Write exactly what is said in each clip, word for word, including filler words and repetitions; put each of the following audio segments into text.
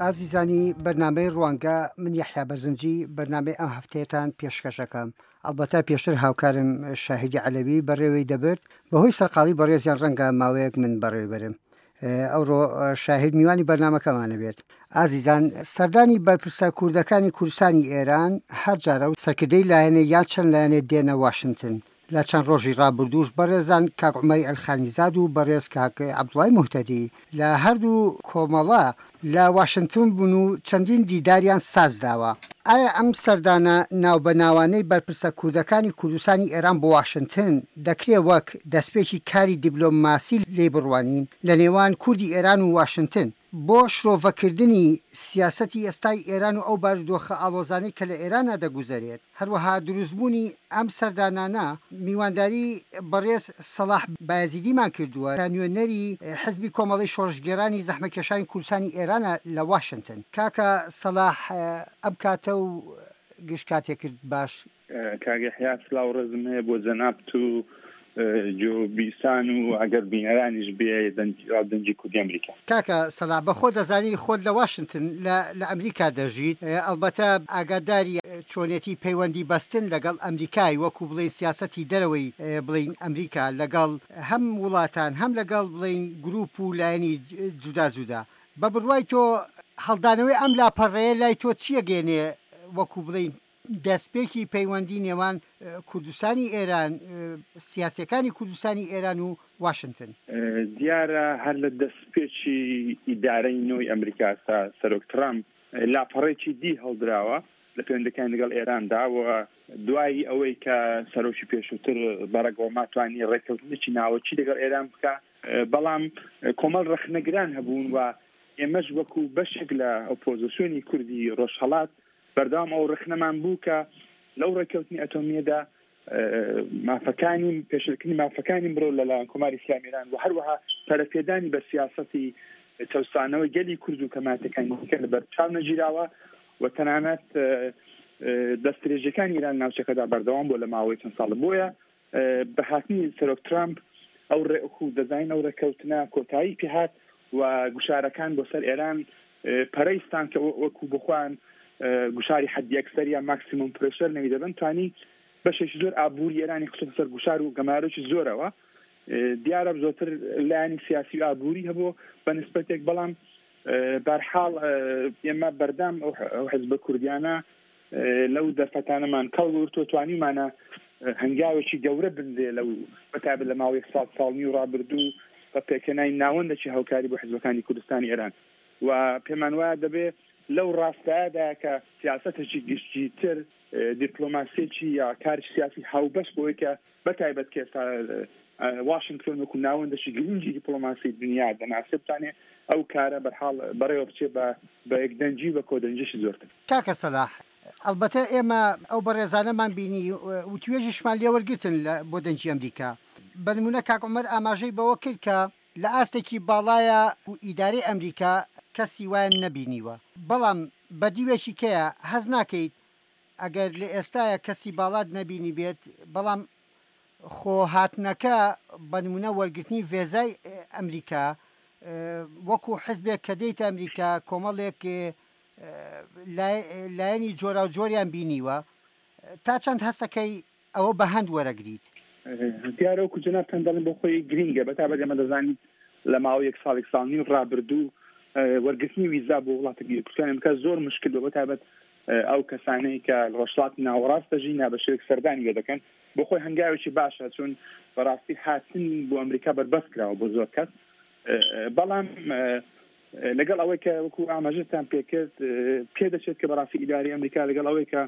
ئازیزانی بەرنامەی ڕوانگە، من یەحیا بەرزنجی بەرنامەی ئەم هەفتەیەتان پێشکەشەکەم. ئەڵبەتە پێشتر هاوکارم شاهیدی عەلەوی بەڕێوەی دەبرد، بەهۆی سەرقاڵی بەڕێزیان ڕەنگە ماوەیەک من بەڕێوەی بەرم. ئەوڕۆ شاهید میوانی بەرنامەکەمانە بێت. ئازیزان، سەردانی بەرپرسە کوردەکانی کوردستانی ئێران هەر جارە و سەرکردەی لایەنێ یان چەند لایەنێ دێنە واشنگتن. لە چەند ڕۆژی ڕابردووش بەڕێزان کاک عومەری ئەلخانیزاد و بەڕێز کاک عەبدوڵای موهتەدی لە هەردوو کۆمەڵە لە واشنگتن بوون و چەندین دیداریان ساز داوە. ئایا ئەم سەردانە ناوبەناوانەی بەرپرسە کوردەکانی کوردستانی ئێران بۆ واشنگتن دەکرێ وەک دەستپێکی کاری دیبلۆماسی لێی بڕوانین لە نێوان کوردی ئێران و واشنگتن؟ بۆ شرۆڤەکردنی سیاسەتی ئێستای ئێران و ئەو بارودۆخە ئاڵۆزانەی کە لە ئێرانا دەگوزەرێت، هەروەها دروستبوونی ئەم سەردانانە، میوانداری بەڕێز سەڵاح بایەزیدیمان کردووە کە نوێنەری حزبی کۆمەڵەی شۆڕشگێڕانی زەحمەتکێشانی کوردستانی ئێرانە لە واشنتن. کاکە سەڵاح ئەم کاتە و گشت کاتێکت باش. کاک یەحیا سلاو ڕێزم هەیە بۆ جەنابت و جۆ بیسان و ئەگەر بینەرانیش بێ دەنگی کوردی ئەمریکا. کاکە سەلا، بە خۆ دەزانی خۆت لە واشنتن لە لە ئەمریکا دەژیت، ئەڵبەتە ئاگاداری چۆنێتی پەیوەندی بەستن لەگەڵ ئەمریکای، وەکو بڵێین سیاسەتی دەرەوەی بڵێین ئەمریکا لەگەڵ هەم وڵاتان هەم لەگەڵ بڵێین گروپ و لایەنی جودا جودا. بە بڕوای تۆ هەڵدانەوەی ئەم لاپەڕەیە لای تۆ چییە گەێنێ وەکو بڵێین دەستپێکی پەیوەندی نێوان کوردستانی ئێران، سیاسیەکانی کوردستانی ئێران و واشنتن؟ دیارە هەر لە دەستپێکی ئیدارەی نوێی ئەمریکا تا سەرۆک ترامپ لاپەڕێکی دی هەڵدراوە لە پەیوەندەکانی لەگەڵ ئێراندا و دوای ئەوەی کە سەرۆکی پێشووتر بەڕەک ئۆباما توانی ڕێککەوتنێکی ناوەکی لەگەڵ ئێران بکە، بەڵام کۆمەڵ ڕەخنەگران هەبوون و ئێمەش وەکو بەشێک لە ئۆپۆزیسیۆنی کوردی ڕۆژهەڵات بەردەوام ئەو ڕەخنەمان بوو کە لەو ڕێککەوتنی ئەتۆمیەدا مافەکانی پێشلکردنی مافەکانی مرۆڤ لەلایەن کۆماری ئیسلامی ئێران و هەروەها پەرەپێدانی بە سیاسەتی چەوسانەوەی گەلی کورد و کەماتەکانی دیکە لەبەرچاو نەگیراوە و تەنانەت دەستدرێژیەکانی ئێران ناوچەکەدا بەردەوام بوو لە ماوەی چەند ساڵ. بۆیە بە هاتنی سەرۆک ترامپ ئەو ڕێکو دەزانین ئەو ڕێککەوتنە کۆتایی پێهات و گوشارەکان بۆ سەر ئێران پەرەیستان کە وەکو بخوان گوشاری حەدی ئەکسەر یا ماکسیموم پرێشەر نەوی دەبن، توانی بەشێکی زۆر ئابووری ئێرانی خستە سەر گوشار و گەمارۆکی زۆرەوە. دیارە زۆرتر لایەنی سیاسی و ئابووری هەبوو بە نسبەتێک، بەڵام بەرحاڵ ئێمە بەردەم ئەو حزبە کوردیانە لەو دەرفەتانەمان کەڵ وەرگرتووە، توانیمانە هەنگاوێکی گەورە بنرێ لەو بەتایبەت لە ماوەی یەک ساڵ ساڵ نیو ڕابردوو بە پێکهێنانی ناوەندێکی هاوکاری بۆ حزبەکانی کوردستانی ئێران و پێمان وایە دەبێ لەو ڕاستایەدا کە سیاسەتێکی گشتیتر دیپلۆماسیەکی یا کاری سیاسی هاوبەش بۆی کە بەتایبەت کە ئێستا واشنگتۆن وەکو ناوەندێکی گرنگی دیپلۆماسی دنیا دەناسێ، بتانێ ئەو کارە بەرحاڵ بەڕێوە بچێ بە یەکدەنگی و بە کۆدەنگیشی زۆرتر. کاکە سەلاح، ئەلبەتە ئێمە ئەو بەڕێزانەمان بینی و توێژیشمان لێوەرگرتن بۆ دەنگی ئەمریکا. بە نمونە کاک عومەر ئاماژەی بەوە کرد کە لە ئاستێکی باڵایە و ئیدارەی ئەمریکا کەسی وایان نەبینیوە، بەڵام بە دیوێکی کەیە هەز ناکەیت ئەگەر لە ئێستاە کەسی باڵات نەبینی بێت، بەڵام خۆ هاتنەکە بە نمونە وەرگرتنی ڤێزای ئەمریکا وەکو حزبێک کە دێیتە ئەمریکا کۆمەڵێک لایەنی جۆراوجۆریان بینیوە، تا چەند هەستەکەی ئەوە بە هەند وەرەگریت؟ دیارە وەکو جەنابتان دەڵێن بۆ خۆی گرینگە، بەتایبەت ئێمە دەزانین لە ماوەی یەک ساڵ یەک ساڵ نیو ڕابردوو وەرگرتنی ویزا بۆ وڵاتە کوردستانی ئەمریکا زۆر مشکل بوو، بەتایبەت ئەو کەسانەی کە ڕۆژهەڵاتی ناوەڕاست دەژین یا بە شێوەیەک سەردانی لێ دەکەن. بۆ خۆی هەنگاوێکی باشە، چون بەڕاستی هاتن بۆ ئەمریکا بەربەست کراوە بۆ زۆر کەس. بەڵام لەگەڵ ئەوەی کە وەکو ئاماژەتان پێکرد پێدەچێت کە بەڕاستی ئیداری ئەمریکا لەگەڵ ئەوەی کە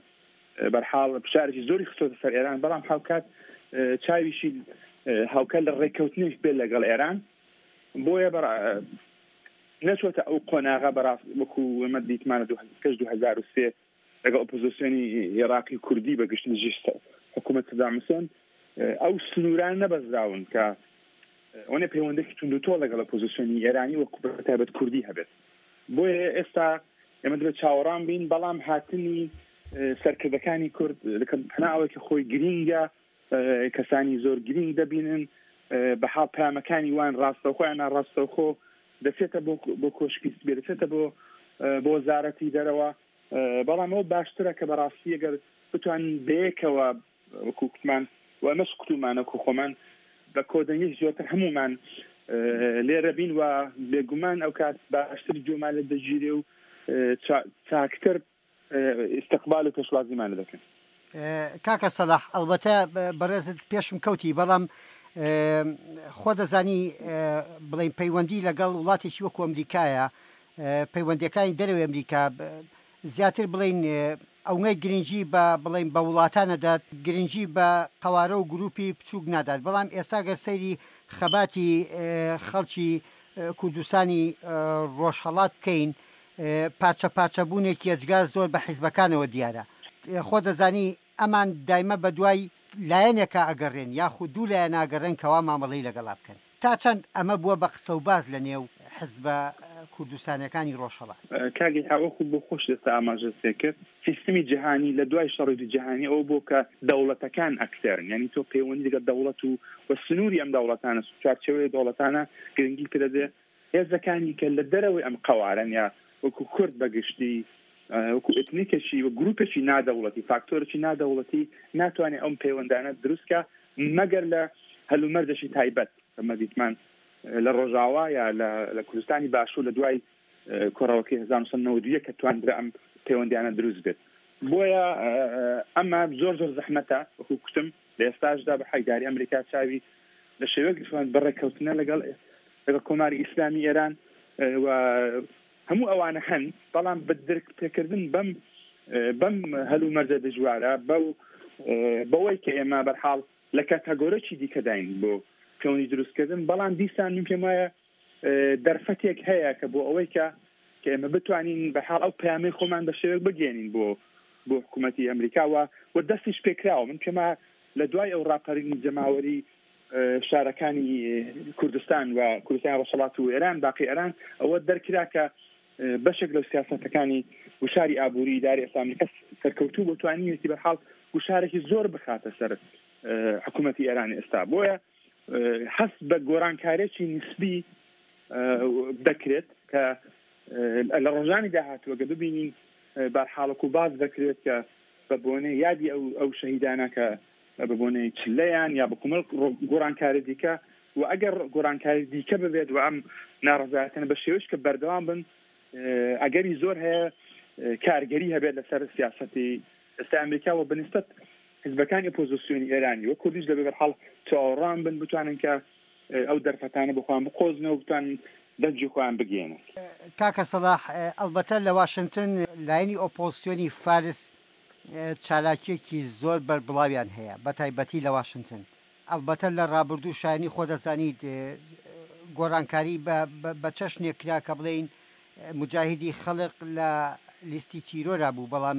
بەرحاڵ فشارێکی زۆری خستۆتە سەر ئێران، بەڵام هاوکات چاویشی هاوکات لە ڕێککەوتنێک بێت لەگەڵ ئێران، بۆیە نەچۆتە ئەو قۆناغە بەڕاست وەکو ئێمە دیتمانە پێش دوو هەزار و سێ لەگەڵ ئۆپۆزیسیۆنی عێراقی کوردی بە گشتی دژی حکوومەت سەدام حوسێن ئەو سنووران نەبەزراون کە ئەوەنە پەیوەندێکی توندوتۆڵ لەگەڵ ئۆپۆزیسیۆنی ئێرانی وەکو بەتایبەت کوردی هەبێت. بۆیە ئێستا ئێمە دەبێت چاوەڕان بین، بەڵام هاتنی سەرکردەکانی کورد پەنا ئەوەی کە خۆی گرینگە، کەسانی زۆر گرینگ دەبینن، بە حاڵ پەیامەکانی وان ڕاستەوخۆ یان ناڕاستەوخۆ دەچێتە بۆ کۆشکی سپی، دەچێتە بۆ بۆ وەزارەتی دەرەوە. بەڵام ئەو باشترە کە بەڕاستی ئەگەر بتوانین بەیەکەوە وەکو کوتمان و ئەمەش کوتومانە وەکو خۆمان بە کۆدەنگی زۆرتر هەمومان لێرە بین و بێگومان ئەو کات باشتر گوێمان لێ دەگیرێ و چاکتر ئیستقبال و پێشوازیمان دەکەن. کاکە سەلاح، ئەلبەتە بەڕێزت پێشم کەوتی، بەڵام خۆ دەزانی بڵین پەیوەندی لەگەڵ وڵاتێکی وەکو ئەمریکایە، پەیوەندیەکانی دەرەوەی ئەمریکا زیاتر بڵین ئەوەی گرنگی بە بڵین بە وڵاتان نەدات، گرنگی بە قەوارە و گروپی بچووک نادات. بەڵام ئێستا گەر سەیری خەباتی خەڵکی کوردستانی ڕۆژهەڵات بکەین، پارچە پارچەبوونێکی ئەجگار زۆر بە حیزبەکانەوە دیارە. خۆ دەزانی ئەمان دایمە بە دوای لایەنێکە ئەگەڕێن یاخود دوو لایەن ئاگەڕێن کەوا مامەڵەی لەگەڵا بکەن. تا چەند ئەمە بووە بە قسە و باز لە نێو حزبە کوردستانەکانی ڕۆژهەڵات؟ کاکی وەکو بۆ خۆش دەستا ئاماژە پێکرد، سیستمی جیهانی لە دوای شەڕی جیهانی ئەو بۆ کە دەوڵەتەکان ئەکتەرن، یعنی تۆ پەیوەندی لەگەڵ دەوڵەت و و سنووری ئەم دەوڵەتانە، چوارچێوەی دەوڵەتانە گرنگی پێ دەدێ. هێزەکانی کە لە دەرەوەی ئەم قەوارەن یا وەکو کورد بەگشتی وەکو ئەتنیکێکی و گروپێکی نادەوڵەتی، فاکتۆرێکی نادەوڵەتی ناتوانێت ئەم پەیوەندانە دروستکە مەگەر لە هەلومەرجێکی تایبەت. ئەمە دیتمان لە ڕۆژاوا یا لە کوردستانی باشوور لە دوای کۆڕەوەکەی هەزار و نۆ سەد و نەوەد و یەک کە تواندرا ئەم پەیوەندیانە دروست بێت. بۆیە ئەمە زۆر زۆر زەحمەتە. وەکو کوتم لە ئێستاشدا بە حیداری ئەمریکا چاوی لە شێوەیەک بەڕێککەوتنە لەگەڵ لەگەڵ کۆماری ئیسلامی ئێران و هەموو ئەوانە هەن، بەڵام بە درک پێکردن بەم بەم هەلومەرجە دژوارە، بەو بەوەی کە ئێمە بەرحاڵ لە کاتاگۆرەکی دیکەداین بۆ پەیوەندی دروستکردن، بەڵام دیسان من پێم وایە دەرفەتێک هەیە کە بۆ ئەوەی کە کە ئێمە بتوانین بەحاڵ ئەو پەیامەی خۆمان بە شێوەیەک بگەێنین بۆ بۆ حکوومەتی ئەمریکا و دەستیش پێکراوە. من پێم وایە لە دوای ئەو ڕاپەرینی جەماوەری شارەکانی کوردستان و کوردستانی ڕۆژهەڵات و ئێران، باقی ئێران، ئەوە دەرکرا کە بەشێک لەو سیاسەتەکانی گوشاری ئابووری ئیداری ئێستا ئەمریکا سەرکەوتوو بۆ توانیویەتی بەرحاڵ گوشارێکی زۆر بخاتە سەر حکوومەتی ئێران ئێستا. بۆیە هەست بە گۆڕانکارێکی نسبی دەکرێت کە لە ڕۆژانی داهاتووە کە ببینین بەرحاڵەک و باز دەکرێت کە بە بۆنەی یادی ئەو ئەو شەهیدانە کە بە بۆنەی چلەیان یا بە کۆمەڵ گۆڕانکاری دیکە، و ئەگەر گۆڕانکاری دیکە ببێت و ئەم ناڕەزایەتانە بە شێوەیەک کە بەردەوام بن، ئەگەری زۆر هەیە کارگەری هەبێت لەسەر سیاسەتی ئێستا ئەمریکا و بەنسبەت حزبەکانی ئۆپۆزیسیۆنی ئێرانی و کوردیش دەبێت بەرحاڵ چاوەڕوان بن بتوانن کە ئەو دەرفەتانە بۆ خۆیان بقۆزنەوە و بتوانن دەنگی خۆیان بگەێنن. کاکە سەلاح، ئەلبەتە لە واشنگتن لایەنی ئۆپۆزیسیۆنی فارس چالاکیەکی زۆر بەربڵاویان هەیە، بە تایبەتی لە واشنگتن. ئەلبەتە لە ڕابردوو شایانی خۆ دەزانیت گۆڕانکاری بە چەشنێک کرا کە بڵێین مجاهیدی خەڵق لە لیستی تیرۆرا بوو، بەڵام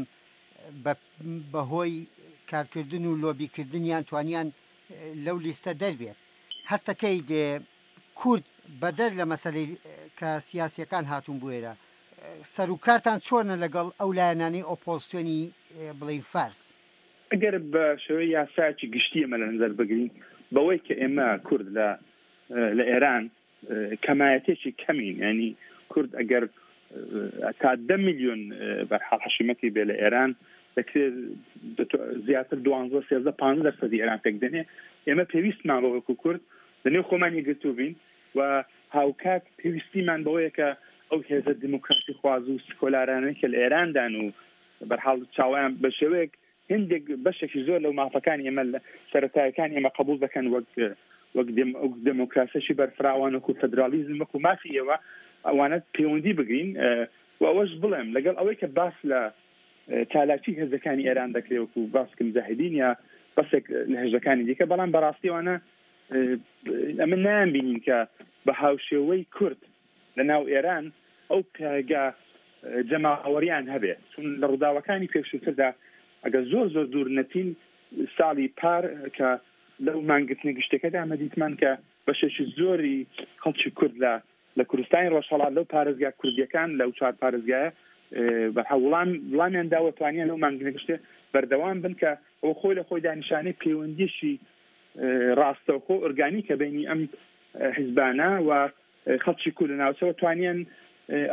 بەهۆی کارکردن و لۆبیکردنیان توانیان لەو لیستە دەربێت. هەستەکەی دێ کورد بەدەر لە مەسەلەی کە سیاسیەکان هاتوون بوێرە، سەرکارتان چۆنە لەگەڵ ئەو لایەنانەی ئۆپۆزیسیۆنی بڵین فارس؟ ئەگەر بە شێوەی یاسایەکی گشتی ئێمە لە نظر بگرین، بەوەی کە ئێمە کورد لە لە ئێران کەمایەتێکی کەمین، ینی کورد ئەگەر تا دە میلیۆن بەرحاڵ حەشیمەتی بێ لە ئێران دەکرێت زیاتر دوانزە سێزدە پانزە دەرسەدی ئێران پێک دێنێ. ئێمە پێویستمان بە وەکو کورد لەنێو خۆمان یەکگرتوو بین و هاوکات پێویستیمان بەوەیە کە ئەو هێزە دیموکراسی خواز و سکۆلارانەی کە لە ئێراندان و بەرحاڵ چاویان بە شێوەیەک هندێک بەشێکی زۆر لەو مافەکانی ئێمە سەرەتایەکانی ئێمە قبول دەکەن وەک وەک دێموکراسیی بەرفراوان وەکو فدرالیزم وەکو مافی ئێوە، ئەوانە پەیوەندی بگرین. و ئەوەش بڵێم لەگەڵ ئەوەی کە باس لە چالاکی هێزەکانی ئێران دەکرێت وەکو باسکە مجاهدین یا بەسێک لە هێزەکانی دیکە، بەڵام بەڕاستی ئەوانە ئەمە نایان بینین کە بە هاوشێوەی کورد لە ناو ئێران ئەو پێگا جەماوەریان هەبێت. چون لە ڕووداوەکانی پێشووتردا ئەگەر زۆر زۆر دوور نەچین، ساڵی پار کە لەو مانگرتنە گشتەکەدا ئەمە دیتمان کە بەشێکی زۆری خەڵکی کورد لە لە کوردستانی ڕۆژهەڵات لەو پارێزگا کوردیەکان لەو چوار پارێزگایە بەرحاڵ وڵام وڵامیان داوە توانیان لەو مانگرتنە گشتێ بەردەوام بن کە ئەو خۆی لە خۆیدا نیشانەی پەیوەندیشی ڕاستەوخۆ ئۆرگانیکە بینی ئەم حیزبانە و خەڵکی کورد لە ناوچەوە توانیان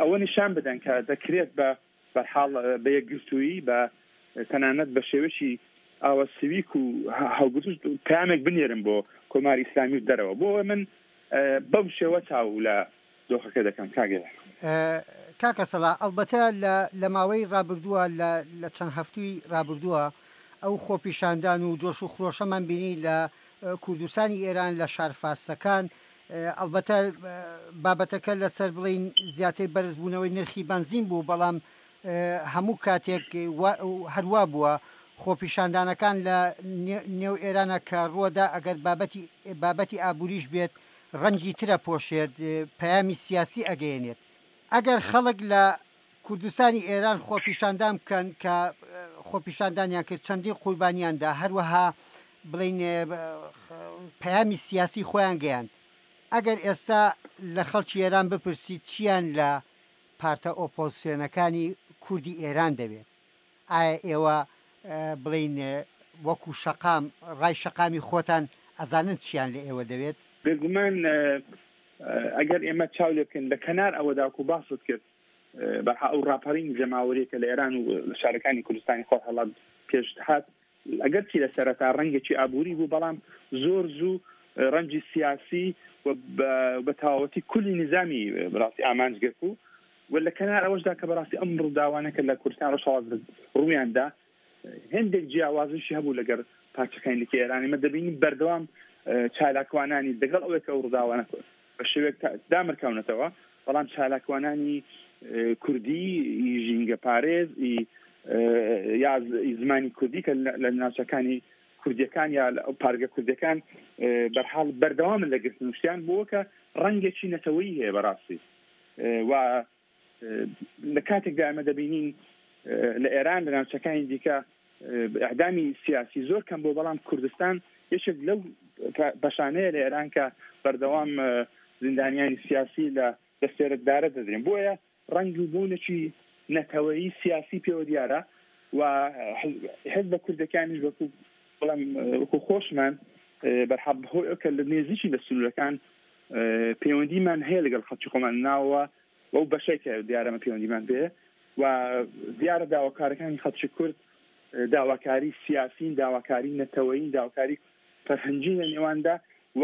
ئەوە نیشان بدەن کە دەکرێت بە بەرحاڵ بە یەکگرتوویی بە تەنانەت بە شێوەیەکی ئاوا سویک و هەڵگرتوش پەیامێک بنێرن بۆ کۆماری ئیسلامی و دەرەوە. بۆ من بەم شێوە چاو لە دۆخەکە دەکەم. کاگە کاکە سەڵا، ئەلبەتە لە ماوەی ڕابردووە لە چەند هەفتووی ڕابردووە ئەو خۆپیشاندان و جۆش و خرۆشەمان بینی لە کوردستانی ئێران لە شار فارسەکان. ئەلبەتە بابەتەکە لەسەر بڵین زیاتر بەرزبوونەوەی نرخی بەنزین بوو، بەڵام هەموو کاتێک هەروە بووە خۆپیشاندانەکان لە نێو ئێرانە کە ڕووەدا ئەگەر بابەتی بابەتی ئابووریش بێت ڕەنگی ترە پۆشێت، پەیامی سیاسی ئەگەیەنێت. ئەگەر خەڵک لە کوردستانی ئێران خۆپیشاندان بکەن کە خۆپیشاندانیان کرد چەندین قوربانیاندا، هەروەها بڵین پەیامی سیاسی خۆیان گەیاند، ئەگەر ئێستا لە خەڵکی ئێران بپرسی چیان لە پارتە ئۆپۆزیسیۆنەکانی کوردی ئێران دەبێت، ئایا ئێوە بڵین وەکو شەقام ڕای شەقامی خۆتان ئەزانن چیان لە ئێوە دەوێت؟ بێگومان ئەگەر ئێمە چاو لێ بکەین لە کەنار ئەوەدا و باست کرد بەرحا ئەو ڕاپەڕین جەماوەریە کە لە ئێران و لە شارەکانی کوردستانی خۆرهەڵات پێش هات، ئەگەرچی لە سەرەتا ڕەنگێکی ئابووری بوو، بەڵام زۆر زوو ڕەنگی سیاسی و بە تەواوەتی کولی نظامی بەڕاستی ئامانج گرت بوو. و لە کەنار ئەوەشدا کە بەڕاستی ئەم ڕووداوانە کە لە کوردستان ڕۆژهەڵات ڕوویاندا هەندێک جیاوازیشی هەبوو لەگەر پارچەکانی دیکە ئێران. ئێمە دەبینین بەردەوام چالاکوانانی دەگەڵ ئەوەی کە ئەو ڕووداوانە بە شێوەیەک دامرکاونەتەوە، بەڵام چالاکوانانی کوردی ژینگە پارێز یا زمانی کوردی کە لە ناوچەکانی کوردیەکان یا پارگە کوردیەکان بەرحاڵ بەردەوامن لە گرتن شتیان بووە کە ڕەنگێکی نەتەوەیی هەیە بەڕاستی. و لە کاتێکدا ئێمە دەبینین لە ئێران لە ناوچەکانی دیکە ئەعدامی سیاسی زۆر کەم بۆ، بەڵام کوردستان یەکێک لەو بەشانەیە لە ئێران کە بەردەوام زیندانیانی سیاسی لە دەستێرەدارە دەدرێن. بۆیە ڕەنگ و بوونێکی نەتەوەیی سیاسی پێوە دیارە و حزب کوردەکانیش وەکو بەڵام وەکو خۆشمان بەرحەب هۆی ئەو کە لە نێزیکی لە سنوورەکان پەیوەندیمان هەیە لەگەڵ خەڵکی خۆمان ناوە ئەو بەشێک کە دیارەمە پەیوەندیمان پێ و دیارە داواکارەکانی خەڵکی کورد داواکاری سیاسین، داواکاری نەتەوەیین، داواکاری فەرهەنگی لە نێواندا و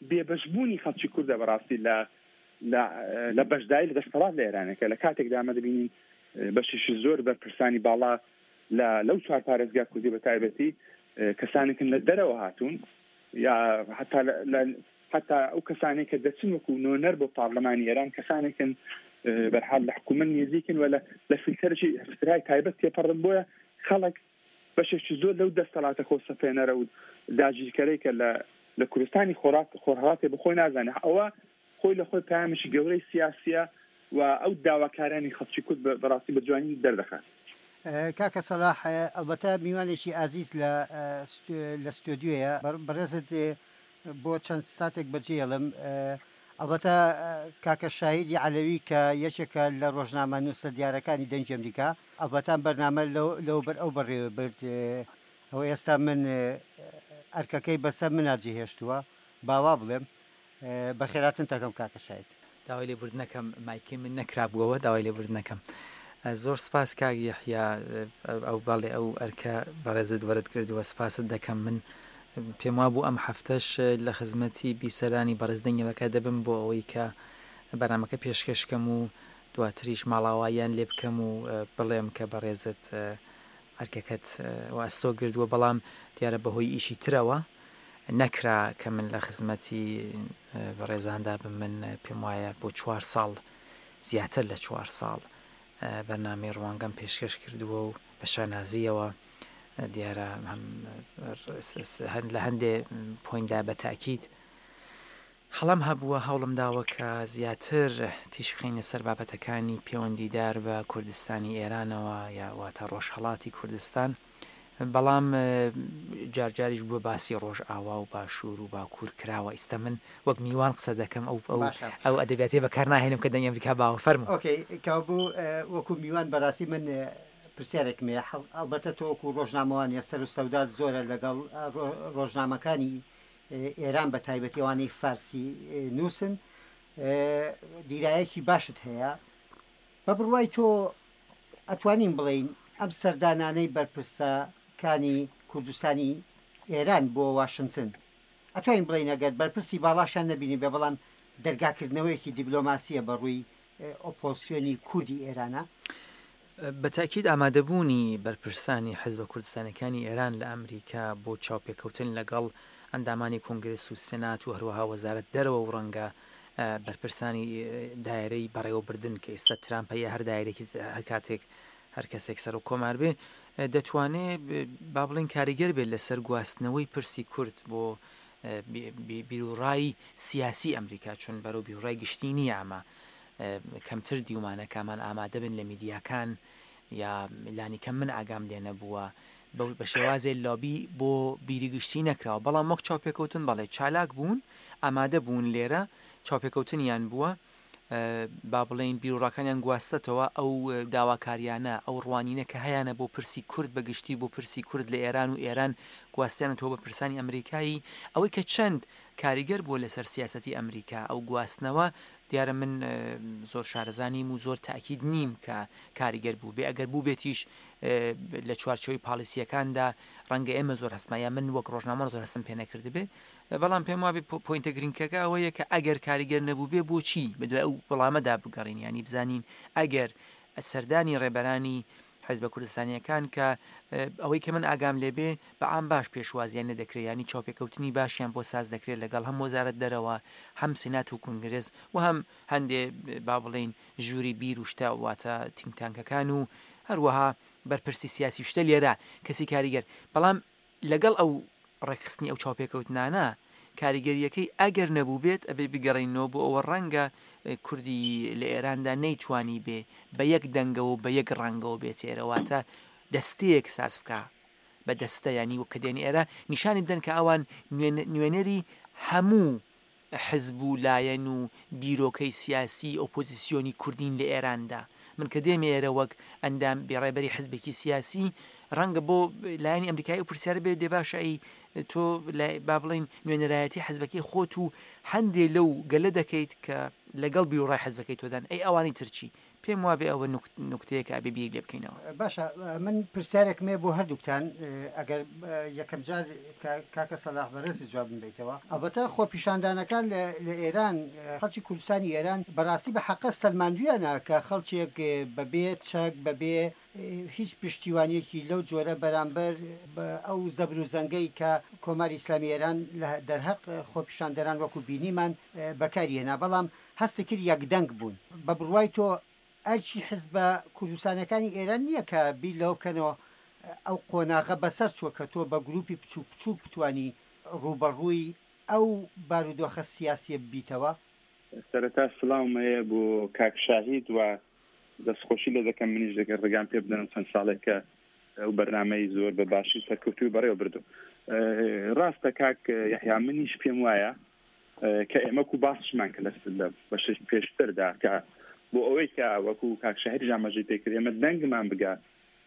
بێبەشبوونی خەڵکی کوردە بەڕاستی لە لە بەشداری لە دەسەڵات لە ئێرانەکە. لە کاتێکدا ئەمە دەبینین بەشێکی زۆر بەرپرسانی باڵا لە لەو چوار پارێزگا کوردی بە تایبەتی کەسانێکن لە دەرەوە هاتوون یا حتا حتا ئەو کەسانێک کە دەچن وەکو نۆنەر بۆ پارلەمانی ئێران کەسانێکن بەرحاڵ لە حکوومەت نزیکن و لە فیلتەرێکی فیلتەرهای تایبەت تێپەڕن. بۆیە خەڵک بەشێکی زۆر لەو دەسەڵاتە خۆسەپێنەرە و داگیرکەرەی کە لە لە کوردستانی خۆرهەڵاتێ بەخۆی نازانێت، ئەوە خۆی لە خۆی پەیامێکی گەورەی سیاسیە و ئەو داواکارانی خەڵکی کورد بەڕاستی بە جوانی دەردەخات. کاکە سەلاح، ئەلبەتە میوانێکی ئازیز لە ستۆدیۆیە، بەڕێزت بۆ چەند ساتێک بەجێڵم. ئەلبەتە کاکە شاهیدی عەلەوی کە یەکێکە لە ڕۆژنامە نووسە دیارەکانی دەنگی ئەمریکا، ئەلبەتە بەرنامە لەو بەر ئەو بەڕێوە برد. ئەو ئێستا من ئەرکەکەی بەسەر منە جێهێشتووە، باوا بڵێم بەخێراتن تەکەم کاکە شاهید. داوای لێبوردنەکەم، مایکەی من نەکرابووەوە، داوای لێبوردنەکەم. زۆر سپاس کاک یەحیا، ئەو بەڵێ ئەو ئەرکە بەڕێزت وەرت کردووە، سپاست دەکەم. من پێم وا بوو ئەم هەفتەش لە خزمەتی بیسەرانی بەڕێز دەنگی ئەمریکا دەبم بۆ ئەوەی کە بەرنامەکە پێشکەشکەم و دواتریش ماڵاواییان لێ بکەم و بڵێم کە بەڕێزت ئەرکەکەت ئەستۆ گردووە، بەڵام دیارە بەهۆی ئیشی ترەوە نەکرا کە من لە خزمەتی بەڕێزاندا بم. من پێم وایە بۆ چوار ساڵ، زیاتر لە چوار ساڵ بەرنامەی ڕوانگەم پێشکەش کردووە و بە شانازیەوە دیارە لە هەندێ پۆیندا بە تاکید هەڵم هەبووە، هەوڵم داوە کە زیاتر تیشخینە سەر بابەتەکانی پەیوەندیدار بە کوردستانی ئێرانەوە یا واتە ڕۆژهەڵاتی کوردستان، بەڵام جارجاریش بووە باسی ڕۆژئاوا و باشوور و باکوور کراوە. ئیستا من وەک میوان قسە دەکەم، ئەو ئەو ئەو ئەدەبیاتێ بەکار ناهێنم کە دەنگی ئەمریکا باوە. فەرموو. ئۆکەی، کابوو وەکو میوان بەڕاستی من پرسیارێکم هەیە. ئەلبەتە تۆ وەکو ڕۆژنامەوانیە سەر و سەودا زۆرە لەگەڵ ڕۆژنامەکانی ئێران بە تایبەتی ئەوانەی فارسی نووسن، دیرایەکی باشت هەیە. بە بڕوای تۆ ئەتوانین بڵێین ئەم سەردانانەی بەرپرسەکانی کوردستانی ئێران بۆ واشنتن ئەتوانین بڵێین ئەگەر بەرپرسی باڵاشیان نەبینی بێ بەڵام دەرگاکردنەوەیەکی دیبلۆماسیە بە ڕووی ئۆپۆزسیۆنی کوردی ئێرانە؟ بە تاکید ئامادەبوونی بەرپرسانی حزبە کوردستانەکانی ئێران لە ئەمریکا بۆ چاوپێکەوتن لەگەڵ ئەندامانی کۆنگرس و سێنات و هەروەها وەزارەت دەرەوە و ڕەنگە بەرپرسانی دایرەی بەڕێوەبردن کە ئێستا ترامپ هەیە هەر دایرێکی هەر کاتێک هەر کەسێک سەر و کۆمار بێ دەتوانێت با بڵێن کاریگەر بێت لەسەر گواستنەوەی پرسی کورد بۆ بیرروڕای سیاسی ئەمریکا، چون بەرەو بیرروڕای گشتی نییە. ئەمە کەمتر دیومانەکەمان ئامادە بن لە میدیاکان یا لانی کەم من ئاگام لێ نەبووە بە شێوازێ لابی بۆ بیری گشتی نەکراوە، بەڵام وەک چاوپێکەوتن بەڵێ چالاک بوون، ئامادە بوون لێرە چاوپێکەوتنیان بووە، با بڵێین بیرروڕاکانیان گواستەتەوە، ئەو داواکاریانە ئەو ڕوانینە کە هەیانە بۆ پرسی کورد بە گشتی بۆ پرسی کورد لە ئێران و ئێران گواستیانەتەوە بە پرسانی ئەمریکایی. ئەوەی کە چەند کاریگەر بووە لەسەر سیاسەتی ئەمریکا ئەو گواستنەوە دیارە من زۆر شارەزانیم و زۆر تاکید نیم کە کاریگەر بوو بێ، ئەگەر بوو بێتیش لە چوارچێوەی پالیسیەکاندا ڕەنگە ئێمە زۆر هەستما یا من وەک ڕۆژنامە زۆر هەستم پێ نەکردبێ، بەڵام پێم وابێ پۆینتە گرنگەکە ئەوەیە کە ئەگەر کاریگەر نەبوو بێ بۆچی بەدوای ئەو وەڵامەدا بگەڕین، ینی بزانین ئەگەر سەردانی ڕێبەرانی حیزبە کوردستانیەکان کە ئەوەی کە من ئاگام لێبێ بە عام باش پێشوازیان لێ دەکرێت، ینی چاوپێکەوتنی باشیان بۆ ساز دەکرێت لەگەڵ هەم وەزارەت دەرەوە هەم سینات و کۆنگرس و هەم هەندێ با بڵێین ژووری بیر و شتە واتە think tank ەکان و هەروەها بەرپرسی سیاسی شتە لێرە کەسی کاریگەر. بەڵام لەگەڵ ئەو ڕێکخستنی ئەو چاوپێکەوتنانە کاریگەریەکەی ئەگەر نەبوو بێت ئەبێ بگەڕێینەوە بۆ ئەوە ڕەنگە کوردی لە ئێراندا نەیتوانی بێ بە یەک دەنگەوە بە یەک ڕەنگەوە بێت ئێرە، واتە دەستەیەک ساز بکە بە دەستە، ینی وەک کە دێن ئێرە نیشانی بدەن کە ئەوان نوێنەری هەموو حزب و لایەن و بیرۆکەی سیاسی ئۆپۆزیسیۆنی کوردین لە ئێراندا. من کە دێمە ئێرە وەک ئەندام بێڕێبەری حزبێکی سیاسی ڕەنگە بۆ لایەنی ئەمریکایی و پرسیارە بێ دێ باشە ئەی تۆ با بڵین نوێنەرایەتی حزبەکەی خۆت و هەندێ لەو گەلە دەکەیت کە لەگەڵ بیرڕای حزبەکەی تۆدان، ئەی ئەوانی ترچی؟ پێم وابێ ئەوە نوکتەیەکە ئەبێ بیر لێ بکەینەوە. باشە من پرسیارێکم هەیە بۆ هەردووکتان، ئەگەر یەکەم جار کاکە سەلاح بەڕێزت جوابم بیتەوە. ئەلبەتە خۆپیشاندانەکان لە ئێران خەڵکی کوردستانی ئێران بەڕاستی بە حەقە سەلماندویانە کە خەڵکێک بەبێ چەک بەبێ هیچ پشتیوانیەکی لەو جۆرە بەرامبەر ئەو زەبر و زەنگەی کە کۆماری ئیسلامی ئێران لە دەرهەق خۆپیشاندەران وەکو بینیمان بەکاریێنا، بەڵام هەستە کرد یەکدەنگ بوون. بە بڕوای تۆ ئەرچی حزبە کوردستانەکانی ئێران نییە کە بیر لەوە بکەنەوە ئەو قۆناغە بەسەر چووە کە تۆ بە گروپی بچووک بچووک بتانی ڕووبەڕووی ئەو بارودۆخە سیاسیە ببیتەوە؟ سەرەتا سڵاوم هەیە بۆ کاک شاهید و دەستخۆشی لێ دەکەم منیش دەگەر ڕێگام پێ بدەن چەند ساڵێک کە ئەو بەرنامەی زۆر بە باشی سەرکەوتووی بەڕێوە بردو. ڕاستە کاک یەحیا، منیش پێم وایە کە ئێمەکو باسشمان کە لە بەشێک پێشتردا کە بۆ ئەوەی کە وەکو کاک شاهید ئاماژەی پێکرد ئێمە دەنگمان بگا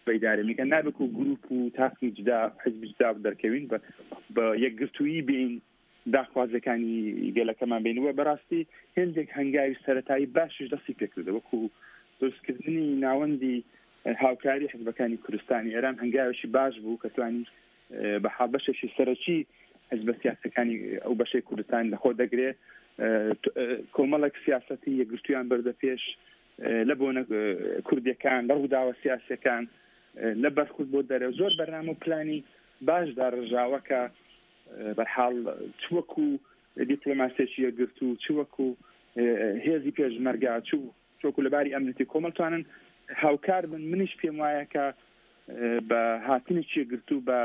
بە ئیدارە میکە نابێت و گروپ و تاقمی جدا حزبی جدا دەرکەوین بە یەکگرتوویی بین داخوازەکانی گەلەکەمان بینەوە. بەڕاستی هێندێک هەنگاوی سەرەتایی باشیش دەستی پێکردە، وەکو دروستکردنی ناوەندی هاوکاری حزبەکانی کوردستانی ئێران هەنگاوێکی باش بوو کە توانی بە حاڵ بەشێکی سەرەکی حزبە سیاسەکانی ئەو بەشەی کوردستان لەخۆ دەگرێ، کۆمەڵێک سیاسەتی یەکگرتوویان بردە پێش لە بۆنە کوردیەکان، لە ڕووداوە سیاسیەکان، لە بەرخورد بۆ دەرەوە. زۆر بەرنامە و پلانی باش داڕژاوە کە بەرحاڵ چ وەکو دیپلۆماسیەکی یەکگرتوو، چ وەکو هێزی پێشمەرگا، چ وەکو لەباری ئەمنیەتی کۆمەڵ توانن هاوکار بن. منیش پێم وایە کە بە هاتنێکی یەکگرتوو، بە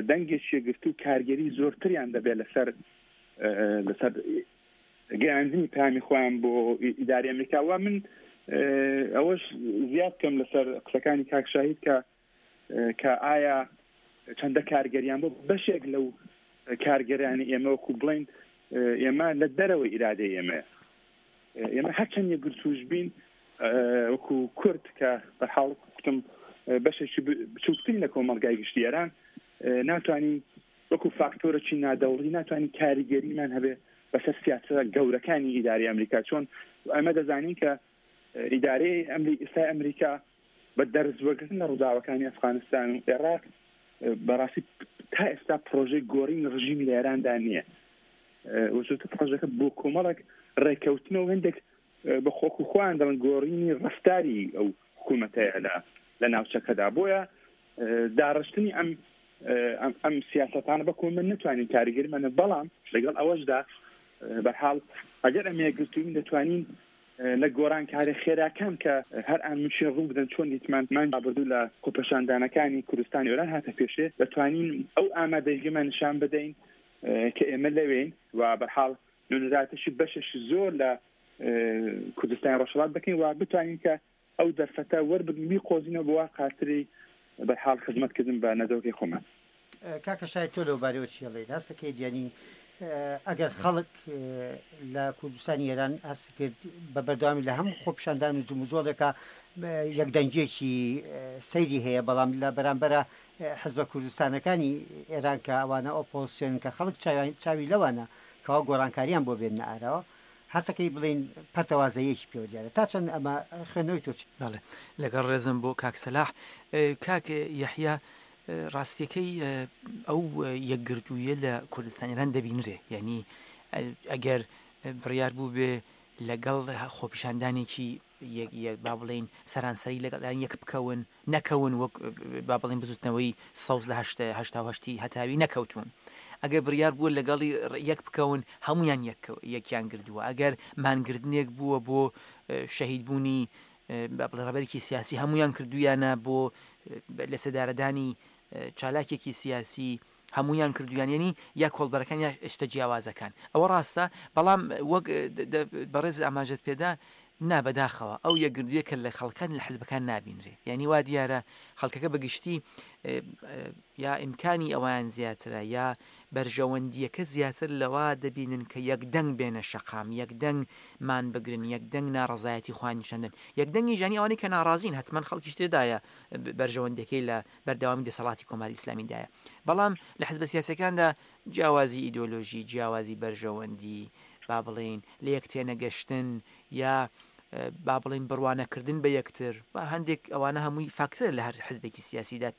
دەنگێکی یەکگرتوو کارگەری زۆرتریان دەبێت لەسەر لەسەر گەیاندنی پامی خۆیان بۆ ئیداری ئەمریکا. و من ئەوەش زیاد بکەم لەسەر قسەکانی کاک شاهید کە کە ئایا چەندە کارگەریان بۆ بەشێک لەو کارگەرانی ئێمە وەکو بڵین ئێمە لە دەرەوەی ئیرادەی ئێمەیە، ئێمە هەرچەند یەکگرتووش بین وەکو کورد کە بەرحاڵ کوتم بەشێکی بچووکترین لە کۆمەڵگای گشتی ئێران ناتوانین وەکو فاکتۆرێکی نادەوڵی ناتوانین کاریگەریمان هەبێ بەسەر سیاسەتە گەورەکانی ئیداری ئەمریکا. چۆن ئەمە دەزانین کە ئیدارەی ئێستای ئەمریکا بە دەرس وەرگرتن لە ڕووداوەکانی ئەفغانستان و عێراق بەڕاستی تا ئێستا پرۆژەی گۆڕینی ڕژیمی لە ئێراندا نییە. وەزۆتە پرۆژەکە بۆ کۆمەڵێک ڕێککەوتنەوە هەندێک بە خۆک و خۆیان دەڵێن گۆڕینی ڕەفتاری ئەو حکوومەتەیە لە ناوچەکەدا. بۆیە داڕشتنی ئەم ئەم سیاسەتانە بە کۆمە نتوانین کاریگەریمانە، بەڵام لەگەڵ ئەوەشدا بەرحاڵ ئەگەر ئەم یەکگرتووین دەتوانین لە گۆڕانکاری خێراکان کە هەر ئان مشین ڕوو بدەن، چۆن دیتمان مان رابردوو لە خۆپێشاندانەکانی کوردستانی ئێران هاتە پێشێ، دەتوانین ئەو ئامادەگیمان نیشان بدەین کە ئێمە لەوێین و بەرحاڵ نوێنەرایەتیشی بەشێکی زۆر لە کوردستانی ڕۆژهەڵات بکەین و بتوانین کە ئەو دەرفەتە وەربگرین بیقۆزینەوە بۆ خاتری بەرحاڵ خزمەتکردن بە نەتەوەکەی خۆمان. کاکە شاهید تۆ لەو بارەوە چی ئەڵێیت؟ هەستەکەیت یعنی ئەگەر خەڵک لە کوردستانی ئێران هەست کرد بە بەردەوامی لە هەموو خۆپیشاندان و جموجۆڵێکە یەکدەنگیەکی سەیری هەیە، بەڵام لە بەرامبەرە حزبە کوردستانەکانی ئێران کە ئەوانە ئۆپۆزیسیۆن کە خەڵک چاوی لەوانە کەوا گۆڕانکاریان بۆ بێننە ئاراوە، هەستەکەی بڵین پەرتەوازەیەکی پێوە دیارە. تا چەند ئەمە خوێندنەوەی تۆ چی؟ بەڵێ لەگەڵ ڕێزم بۆ کاک سەلاح. کاک یەحیا، ڕاستیەکەی ئەو یەکگرتوویە لە کوردستان ئێران دەبینرێ، یعنی ئەگەر بڕیار بوو بێ لەگەڵ خۆپیشاندانێکی با بڵین سەرانسەری لەگەڵ یەک بکەون نەکەون، وەک با بڵین بزوتنەوەی سەوز لە هەشتا و هەشتی هەتاوی نەکەوتون، ئەگەر بڕیار بووە لەگەڵی یەک بکەون هەمویان یەکیان گردووە، ئەگەر مانگردنێک بووە بۆ شەهیدبوونی ڕابەرێکی سیاسی هەمویان کردویانە، بۆ لە سەدارەدانی چالاکێکی سیاسی هەمویان کردویان، یعنی یا کۆڵبەرەکان یا شتە جیاوازەکان. ئەوە ڕاستە، بەڵام وەک بەڕێز ئاماژەت پێدا نا بەداخەوە ئەو یەکگرتوویە کە لە خەڵکان لە حزبەکان نابینرێ، یعنی وا دیارە خەڵکەکە بەگشتی یا ئیمکانی ئەوان زیاترە یا بەرژەوەندیەکە زیاتر لەوا دەبینن کە یەکدەنگ بێنە شەقام، یەکدەنگ مان بگرن، یەکدەنگ ناڕەزایەتی خۆیان نیشاندن، یەکدەنگی ژانی ئەوانەی کە ناڕازین حتمما خەڵکیش تێدایە بەرژەوەندیەکەی لە بەردەوامی دەسەڵاتی کۆماری ئیسلامیدایە. بەڵام لە حزبە سیاسەکاندا جیاوازی ئیدۆلۆژی، جیاوازی بەرژەوەندی، با بڵین لە یەک تێنەگەشتن یا با بڵین بڕوانەکردن بە یەکتر، هەندێک ئەوانە هەمووی فاکتەرە لە هەر حزبێکی سیاسیدا،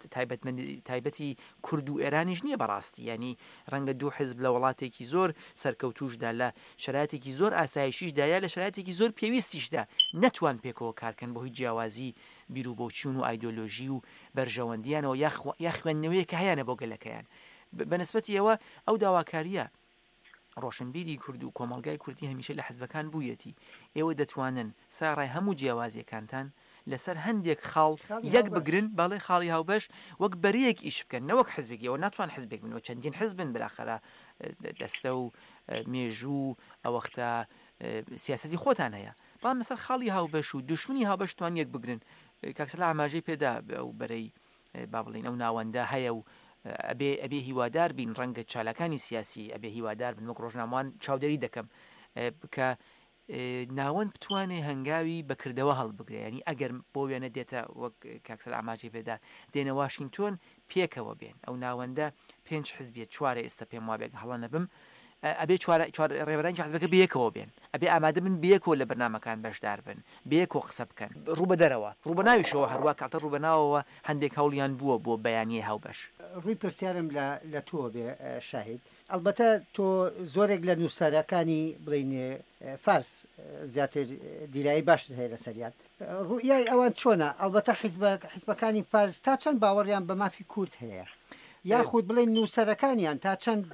تایبەتی کورد و ئێرانیش نییە بەڕاستی. ینی ڕەنگە دوو حزب لە وڵاتێکی زۆر سەرکەوتوشدا، لە شرایطێکی زۆر ئاسایشیشدا یا لە شرایطێکی زۆر پێویستیشدا نەتوان پێکەوە کارکەن بۆ هیچ جیاوازی بیر و بۆچوون و ئایدۆلۆژی و بەرژەوەندیانەوە یا خوێندنەوەیە کە هەیانە بۆ گەلەکەیان. بەنسبەتی ئەوە ئەو داواکاریە ڕۆشنبیری کورد و کۆمەلگای کوردی هەمیشە لە حزبەکان بوویەتی. ئێوە دەتوانن ساڕای هەموو جیاوازیەکانتان لەسەر هەندێک خاڵ یەک بگرن، بەڵێ خاڵی هاوبەش وەک بەرەیەک ئیش بکەن، نەوەک حزبێک. ئێوە ناتوان حزبێک بن و چەندین حزبن بالاخرە دەستە و مێژوو ئەوەختە سیاسەتی خۆتان هەیە، بەڵام لەسەر خاڵی هاوبەش و دوشمنی هاوبەش توان یەک بگرن. کاک سەلاح ئاماژەی پێدا ئەو بەرەی با بڵین ئەو ناوەندە هەیە و ئەبێ ئەبێ هیوادار بین، ڕەنگە چالاکانی سیاسی ئەبێ هیوادار بن، وەک ڕۆژنامەوان چاودێری دەکەم کە ناوەند بتوانێ هەنگاوی بەکردەوە هەڵبگرێ. ینی ئەگەر بۆ وێنە دێتە وەک کاک سەلاح ئاماژەی پێدا دێنە واشنگتۆن پێکەوە بێن، ئەو ناوەندە پێنج حزبیە چوارە ئێستا پێم وابێت هەڵە نەبم، ئەبێ چوار ڕێبەرانی حزبەکە بەیەکەوە بێن، ئەبێ ئامادە بن بەیەکەوە لە بەرنامەکان بەشدار بن، بەیەکەوە قسە بکەن، ڕوو بە دەرەوە، ڕوو بە ناویشەوە، هەروە کاتە ڕوو بە ناوەوە هەندێک هەوڵیان بووە بۆ بەیانیە هاوبەش. ڕووی پرسیارم لە تۆ بێ شاهید، ئەلبەتە تۆ زۆرێک لە نووسەرەکانی بڵین فارس زیاتر دیرایی باشتر هەیە لەسەریان، ڕوئیای ئەوان چۆنە؟ ئەلبەتە حزبەکانی فارس تا چەند باوەڕیان بە مافی کورد هەیە، یاخود بڵین نووسەرەکانیان تا چەند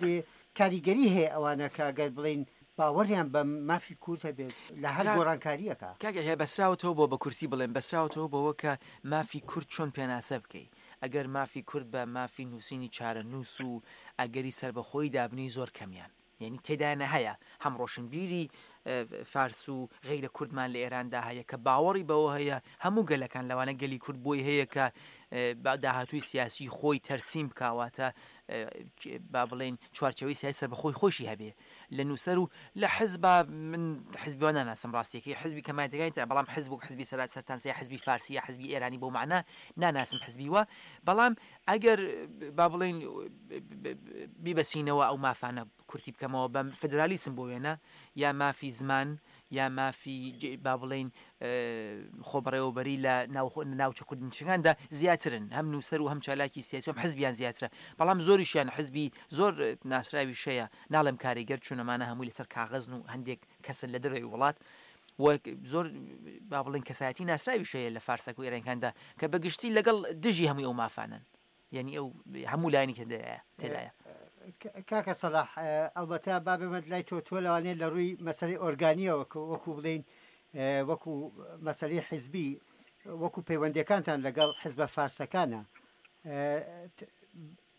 کاریگەری هەیە ئەوانە کە ئەگەر بڵین باوەڕیان بە مافی کورد هەبێت لە هەر گۆڕانکاریەکە؟ کاکە هەیە بەسراوەتەوە بۆ بە کورتی بڵێن بەسراوەتەوە بەوە کە مافی کورد چۆن پێناسە بکەی. ئەگەر مافی کورد بە مافی نووسینی چارەنووس و ئەگەری سربەخۆی دابنی زۆر کەمیان، یعنی تێدایانە هەیە هەم ڕۆشنبیری فارس و غەیرە کوردمان لە ئێراندا هەیە کە باوەڕی بەوە هەیە هەموو گەلەکان لەوانە گەلی کورد بۆی هەیە کە داهاتووی سیاسی خۆی تەرسیم بکاواتە با بڵێن چوارچەوەی سیاسی سەربەخۆی خۆشی هەبێ لە نووسەر و لە حزبا من حزبیوان ناناسم ڕاستیەکەی حزبی کەمایەتەکانی تر، بەڵام حزب و حزبی سەرات سەرتانسەیە حزبی فارسی یا حزبی ئێرانی بۆ معنە ناناسم حزبی وە. بەڵام ئەگەر با بڵێن بیبەسینەوە ئەو مافانە کورتی بکەمەوە بە فدرالیسم بۆ وێنە یا مافی زمان یا مافی با بڵێین خۆبەڕێوەبەری لە ناوچە کوردنشینەکاندا زیاترن، هەم نووسەر و هەم چالاکی سیاسی و هەم حزبیان زیاترە، بەڵام زۆریشیان حزبی زۆر ناسراویش هەیە، ناڵێم کاریگەر چون ئەمانە هەمووی لەسەر کاغەزن و هەندێک کەسن لە دەرەوەی وڵات و زۆر با بڵێن کەسایەتی ناسراویش هەیە لە فارسەک و ئێرانەکاندا کە بەگشتی لەگەڵ دژی هەمووی ئەو مافانن، یعنی ئەو هەموو لایەنی تێدایە تێدایە. کاکە سەلاح، ئەلبەتە با بێمە لای تۆ، تۆ لەوانەیە لە ڕووی مەسەلەی ئۆرگانیەوە وەکو بڵێین وەکو مەسەلەی حیزبی وەکو پەیوەندیەکانتان لەگەڵ حیزبە فارسەکانە،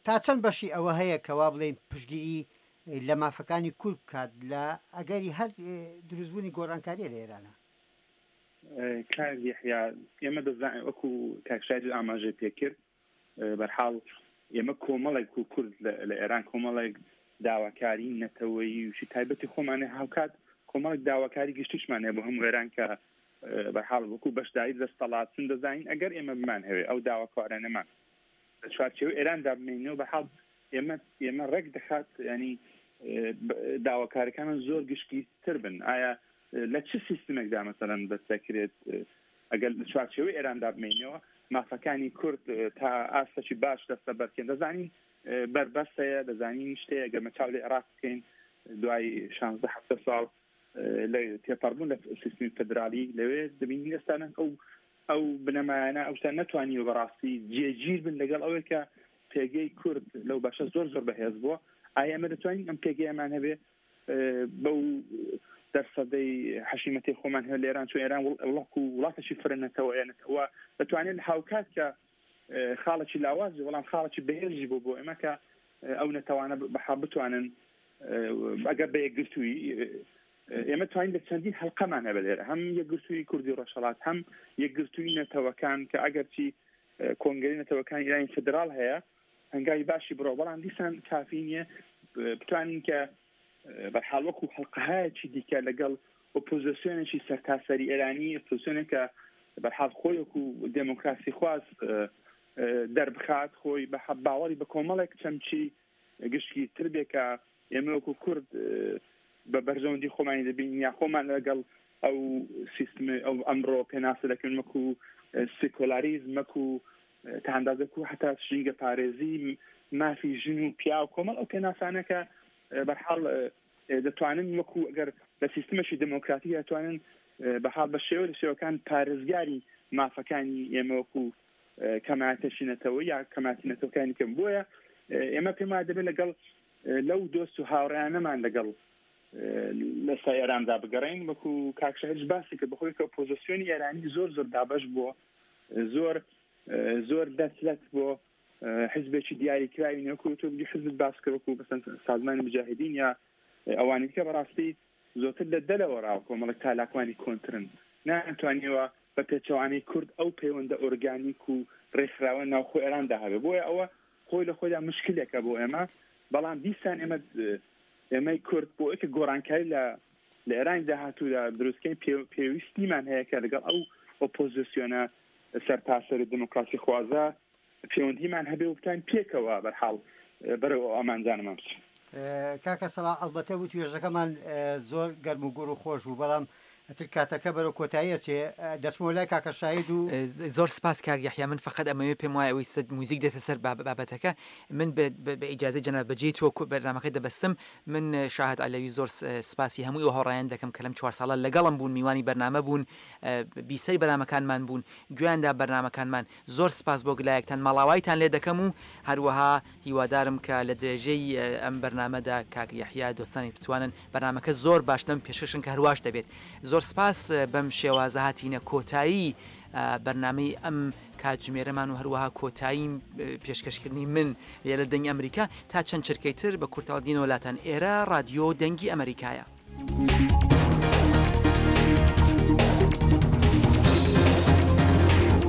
تا چەند بەشی ئەوە هەیە کەوا بڵێین پشتگیری لە مافەکانی کورد بکات لە ئەگەری هەر دروستبوونی گۆڕانکاریە لە ئێرانە؟ کاک یەحیا، ئێمە دەزانین وەکو کاک شاهید ئاماژەی پێکرد، بەرحاڵ ئێمە کۆمەڵێک و کورد لە ئێران کۆمەڵێک داواکاری نەتەوەیی و شی تایبەتی خۆمانێ، هاوکات کۆمەڵێک داواکاری گشتیشمان هەیە بۆ هەموو ئێران کە بەرحاڵ وەکو بەشداری دەستەڵات چون دەزانین ئەگەر ئێمە بمان هەوێ ئەو داواکارانەمان لە چوارچێوەی ئێراندا بمێنەوە، بەحاڵ ئێمە ئێمە ڕێک دەخات، ینی داواکارەکانمان زۆر گشتگیرتر بن. ئایا لە چ سیستمێکدا مەسەلەن دەستەکرێت ئەگەر لە چوارچێوەی ئێراندا بمێنەوە مافەکانی کورد تا ئاستێکی باش دەستە بەرکێن؟ دەزانین بەربەست هەیە، دەزانین شتەیە ئەگەر مەچاو لە عێراق بکەین دوای شانزدە حەفتە ساڵ لە تێپەڕبوون لە سیستمی فدرالی لەوێ دەبینین ئێستا ئەو ئەو بنەمایانە ئەو شتان نەتوانیوە بەڕاستی جێگیر بن لەگەڵ ئەوەی کە پێگەی کورد لەو بەشە زۆر زۆر بەهێز بووە. ئایا ئێمە دەتوانین ئەم پێگەیەمان هەبێ بەو دەرسەدەی حەشیمەتی خۆمان هەیە لە ئێران، چون ئێران وڵاک و وڵاتێکی فرە نەتەوەیە، نەتەوە دەتوانێت هاوکات کە خاڵێکی لاوازی بەڵام خاڵێکی بەهێزی بۆ بۆ ئێمە کە ئەو نەتەوانە بەحاڵ بتوانن ئەگەر بە یەکگرتووی ئێمە توانین لە چەندین حەلقەمان هەبێت لێرە، هەم یەکگرتووی کوردی ڕۆژهەڵات، هەم یەکگرتووی نەتەوەکان کە ئەگەرچی کۆنگرەی نەتەوەکانی ئێرانی فدرال هەیە هەنگاوی باشی بڕۆ، بەڵام دیسان کافی نییە بتوانین کە بەرحاڵ وەکو حەلقەهایەکی دیکە لەگەڵ ئۆپۆزیسیۆنێکی سەرتاسەری ئێرانی، ئۆپۆزیسیۆنێکە بەرحاڵ خۆی وەکو دێموکراسی خواز دەربخات، خۆی بە باوەڕی بە کۆمەڵێک چەمکی گشتگیرتر بێ کە ئێمە وەکو کورد بە بەرژەوەندی خۆمانی دەبین یا خۆمان لەگەڵ ئەو سیستم ئەو ئەمڕۆ پێناسە دەکەن وەکو سیکۆلاریزم، وەکو تا ئەندازەکو حتا ژینگە پارێزی، مافی ژن و پیاو، کۆمەڵ ئەو پێناسانە کە بەرحاڵ دەتوانن وەکو ئەگەر لە سیستمێکی دێموکراتی دەتوانن بەحاڵ بە شێوە لە شێوەکان پارێزگاری مافەکانی ئێمە وەکو کەماتەشی نەتەوە یا کەماتی نەتەوەکانی کەم. بۆیە ئێمە پێم وایە دەبێت لەگەڵ لەو دۆست و هاوڕێیانەمان لەگەڵ لەسا ئێراندا بگەڕین، وەکو کاک شاهیدش باسی کرد بەخۆی کە ئۆپۆزیسیۆنی ئێرانی زۆر زۆر دابەش بووە، زۆر زۆر دەستلەت بۆ حزبێکی دیاریکراوی وەکو تۆ بگی حزبت باس کرد وەکو بەسەن سازمانی مجاهدین یا ئەوانی دیکە، بەڕاستی زۆرتر لە دەلەوە ڕاو کۆمەڵێک چالاکوانی کۆنترن، ناتوانیوە بە پێچەوانەی کورد ئەو پەیوەندە ئۆرگانیک و ڕێکخراوە ناوخۆ ئێراندا هەبێ. بۆیە ئەوە خۆی لە خۆیدا مشکلێکە بۆ ئێمە، بەڵام دیسان ئێمە ئێمەی کورد بۆ ئەوەی کە گۆڕانکاری لە لە ئێرانی داهاتوودا دروستکەین پێویستیمان هەیە کە لەگەڵ ئەو ئۆپۆزیسیۆنە سەرتاسەر دێموکراسی خوازە پەیوەندیمان هەبێ و بتوانین پێکەوە بەرحاڵ بەرەو ئەو ئامانجانەمان بچین. کاکە سەڵاح، ئەلبەتە وتوێژەکەمان زۆر گەرم و گوڕ و خۆش بوو، بەڵام ئەتر کاتەکە بەرەو کۆتاییە چێ دەچمەوە لای کاکە شاهید و زۆر سپاس کاک یەحیا. من فقط ئەمەوێ پێم وایە ئەوەی سەد موزیک دێتە سەر بابەتەکە، من بە ئیجازەی جەناب بەجێی تۆ بەرنامەکە دەبەستم. من شاهد عەلەوی زۆر سپاسی هەمووی ئەو هاوڕێیان دەکەم کە لەم چوار ساڵە لەگەڵم بوون، میوانی بەرنامە بوون، بیسەری بەرنامەکانمان بوون، گوێیاندا بەرنامەکانمان. زۆر سپاس بۆ گلایەکتان، ماڵاوایتان لێ دەکەم و هەروەها هیوادارم کە لە درێژەی ئەم بەرنامەدا کاک یەحیا دۆستانی بتوانن بەرنامەکە زۆر باش لەم پێشکەشن کە هەرواش دەبێت. زۆر سپاس بەم شێوازە هاتینە کۆتایی بەرنامەی ئەم کاتژمێرەمان و هەروەها کۆتایی پێشکەشکردنی من لێرە دەنگی ئەمریکا تا چەند چرکەی تر بە کورتاڵ دینەوە لاتان. ئێرە رادیۆ دەنگی ئەمریکایە.